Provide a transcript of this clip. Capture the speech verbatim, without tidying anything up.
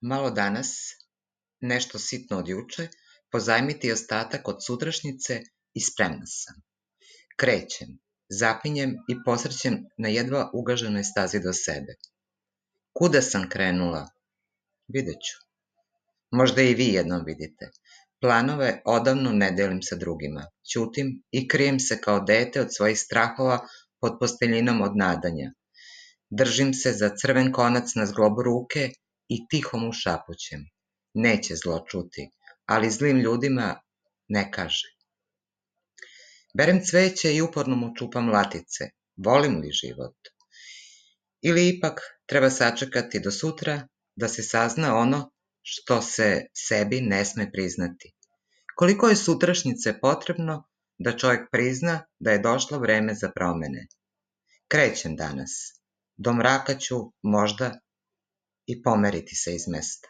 Malo danas, nešto sitno od juče, pozajmiti ostatak od sutrašnjice i spremna sam. Krećem, zapinjem i posrćem na jedva ugaženoj stazi do sebe. Kuda sam krenula? Vidjet ću. Možda i vi jednom vidite. Planove odavno ne delim sa drugima. Ćutim i krijem se kao dete od svojih strahova pod posteljinom od nadanja. Držim se za crven konac na zglobu ruke i tiho mu šapućem. Neće zlo čuti, ali zlim ljudima ne kaže. Berem cveće i uporno mu čupam latice. Volim li život? Ili ipak treba sačekati do sutra da se sazna ono što se sebi ne sme priznati. Koliko je sutrašnjice potrebno da čovjek prizna da je došlo vreme za promene? Krećem danas. Do mraka ću možda i pomeriti se iz mesta.